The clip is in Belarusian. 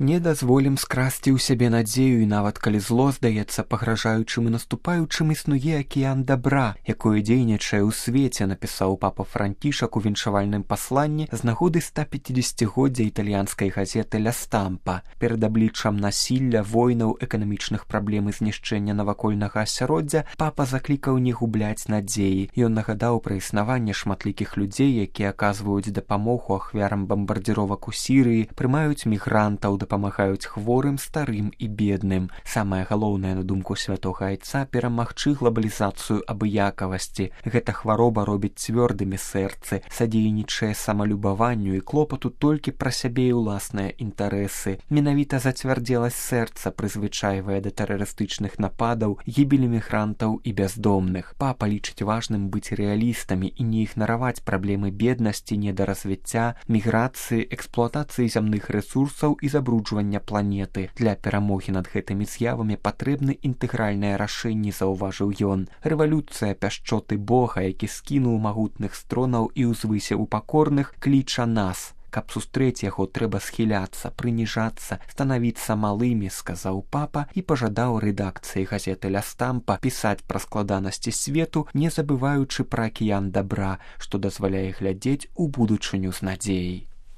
Не дазволім скрасці ў сябе надзею, і нават калі зло здаецца пагражаючым і наступаючым, існуе акіян дабра, якое дзейнічае ў свеце, напісаў папа Францішак у віншавальным пасланні з нагоды 150-годдзя італьянскай газеты «Ля Стампа». Перад абліччам насілля, войнаў, эканамічных праблем і знішчэння навакольнага асяроддзя папа заклікаў не губляць надзеі. Ён нагадаў пра існаванне шматлікіх людзей, якія аказваюць дапамогу ахвярам бамбардзіровак у Сірыі, прымаюць мігрантаў, дапамагаюць хворым, старым і бедным. Самае галоўнае, на думку святога айца, перамагчы глобалізацыю абыякавасці. Гэта хвароба робіць цвёрдымі сэрцы, садзейнічае самалюбаванню і клопату толькі пра сябе і ўласныя інтарэсы. Менавіта зацвярдзеласць сэрца прызвычайвае да тэрарыстычных нападаў, гібелі мігрантаў і бяздомных. Папа лічыць важным быць рэалістамі і не ігнараваць праблемы беднасці, недаразвіцця, міграцыі, эксплуатацыі зямных рэсурсаў і забруджвання планеты. Для перамогі над гэтымі з'явамі патрэбны інтэгральныя рашэнні, заўважыў ён. Рэвалюцыя пяшчоты Бога, які скінуў магутных стронаў і ўзвысіў пакорных, кліча нас. Каб сустрэць яго, трэба схіляцца, прыніжацца, станавіцца малымі, сказаў папа і пажадаў рэдакцыі газеты «Ля Стампа» пісаць пра складанасці свету, не забываючы пра акіян дабра, што дазваляе глядзець у будучыню з надзеяй.